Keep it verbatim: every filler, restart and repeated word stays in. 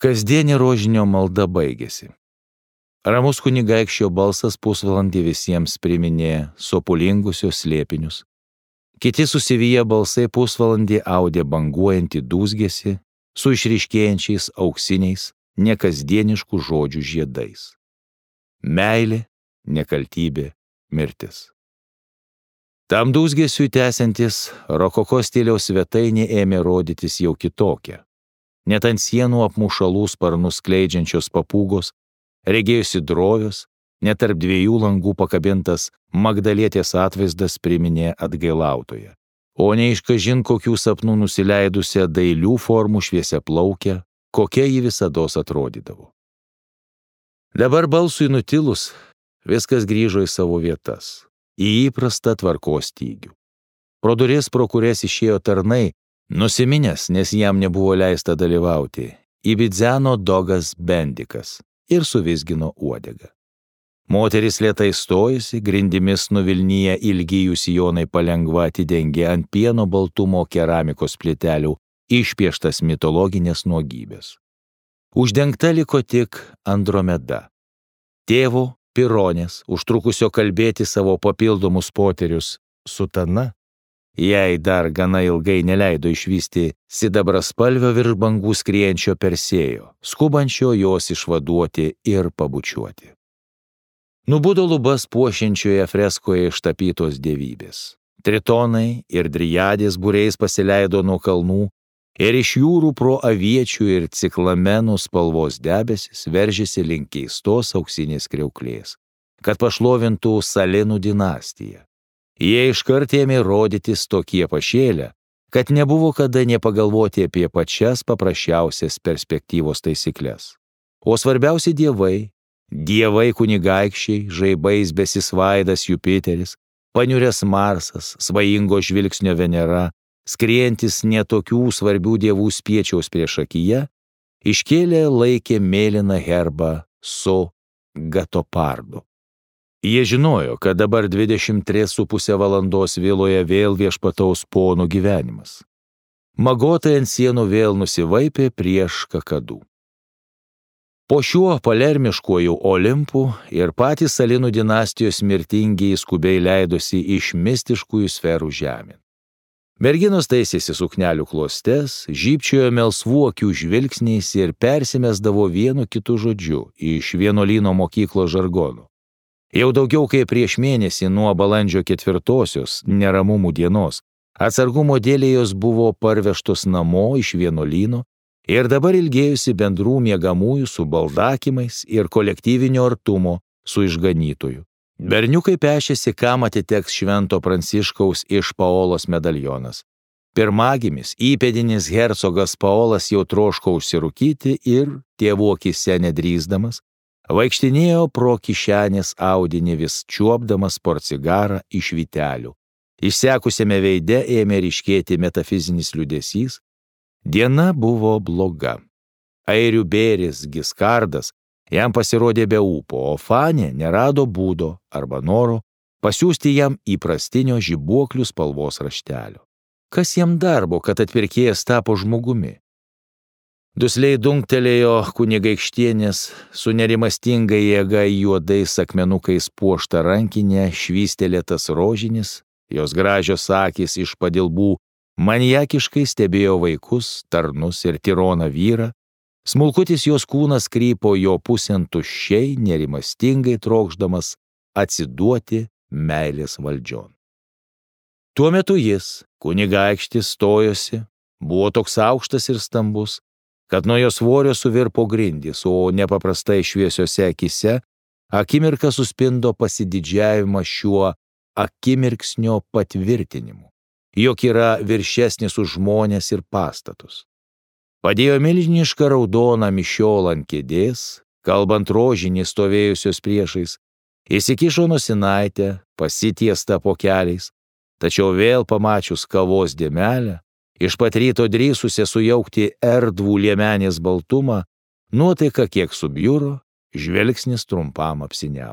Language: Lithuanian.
Kasdienė rožinio malda baigėsi. Ramus kunigaikščio balsas pusvalandį visiems priminė sopulingusios slėpinius. Kiti susiviję balsai pusvalandį audė banguojantį dūzgesį su išryškėjančiais auksiniais, nekasdieniškų žodžių žiedais. Meilė, nekaltybė, mirtis. Tam dūzgesiui tęsiantis, rokoko stiliaus svetainė ėmė rodytis jau kitokia. Net ant sienų apmušalų sparnus skleidžiančios papūgos, regėjusi drovios, net tarp dviejų langų pakabintas Magdalietės atvaizdas priminė atgailautoją, o ne iš kažin kokių sapnų nusileidusią dailių formų šviesiaplaukę, kokia ji visados atrodydavo. Dabar balsui nutilus, viskas grįžo į savo vietas, į įprastą tvarkos stygių. Pro duris, pro kurias išėjo tarnai, nusiminęs, nes jam nebuvo leista dalyvauti, įbidzeno dogas Bendikas ir suvizgino uodegą. Moteris lėtai stojusi, grindimis nuvilnyje ilgijų sijonai palengva atidengė ant pieno baltumo keramikos plitelių išpieštas mitologinės nuogybės. Uždengta liko tik Andromeda. Tėvo Pironės, užtrukusio kalbėti savo papildomus poterius sutana, jai dar gana ilgai neleido išvysti sidabraspalvio virš bangų skriejančio Persėjo, skubančio jos išvaduoti ir pabučiuoti. Nubudo lubas puošiančioje freskoje ištapytos dievybės. Tritonai ir driadės būriais pasileido nuo kalnų ir iš jūrų pro aviečių ir ciklamenų spalvos debesis veržėsi link keistos auksinės kriauklės, kad pašlovintų Salinų dinastiją. Jie iškart ėmė rodytis tokie pašėlę, kad nebuvo kada nepagalvoti apie pačias paprasčiausias perspektyvos taisyklės. O svarbiausi dievai, dievai kunigaikščiai, žaibais besisvaidas Jupiteris, paniuręs Marsas, svajingo žvilgsnio Venera, skriejantis netokių svarbių dievų spiečiaus priešakyje, iškėlė laikė mėlyną herbą su Gatopardu. Jie žinojo, kad dabar dvidešimt tris su pusė valandos viloje vėl viešpataus ponų gyvenimas. Magotai ant sienų vėl nusivaipė prieš kakadų. Po šiuo palermiškuoju Olimpu ir patys Salinų dinastijos mirtingiai skubiai leidosi iš mistiškųjų sferų žemėn. Merginos taisėsi suknelių klostes, žybčiojo melsvų akių žvilgsniais ir persimesdavo vienu kitu žodžiu iš vienuolyno mokyklos žargonų. Jau daugiau kaip prieš mėnesį nuo balandžio ketvirtosios neramumų dienos atsargumo dėlei jos buvo parvežtos namo iš vienuolyno ir dabar ilgėjusi bendrų miegamųjų su baldakimais ir kolektyvinio artumo su išganytoju. Berniukai pešėsi, kam atiteks švento Pranciškaus iš Paolos medalionas. Pirmagimis, įpėdinis hercogas Paolas jau troško užsirūkyti ir, tėvų akyse nedrįsdamas, vaikštinėjo pro kišenės audinį vis čiuopdamas porcigarą iš vytelių. Išsekusiame veide ėmė ryškėti metafizinis liūdesys. Diena buvo bloga. Airių bėris Giskardas jam pasirodė be ūpo, o Fanė nerado būdo arba noro pasiųsti jam įprastinio žibuoklių spalvos raštelio. Kas jam darbo, kad atpirkėjas tapo žmogumi? Dusliai dunktelėjo kunigaikštienės su nerimastinga jėga juodais akmenukais puošta rankinė, švystelėtas rožinis, jos gražios akys iš padilbų maniakiškai stebėjo vaikus, tarnus ir tironą vyrą, smulkutis jos kūnas krypo jo pusėn tuščiai, nerimastingai trokšdamas atsiduoti meilės valdžion. Tuo metu jis, kunigaikštis, stojosi, buvo toks aukštas ir stambus, kad nuo jo svorio suvirpo grindys, o nepaprastai šviesiose akise akimirką suspindo pasididžiavimą šiuo akimirksnio patvirtinimu, jog yra viršesnis už žmones ir pastatus. Padėjo milžinišką raudoną mišiolą ant kėdės, kalbant rožinį stovėjusios priešais, įsikišo nosinaitę, pasitiestą po keliais, tačiau vėl pamačius kavos dėmelę, iš pat ryto drįsusią sujaukti erdvų liemenės baltumą, nuotaika kiek subjuro, žvilgsnis trumpam apsiniavo.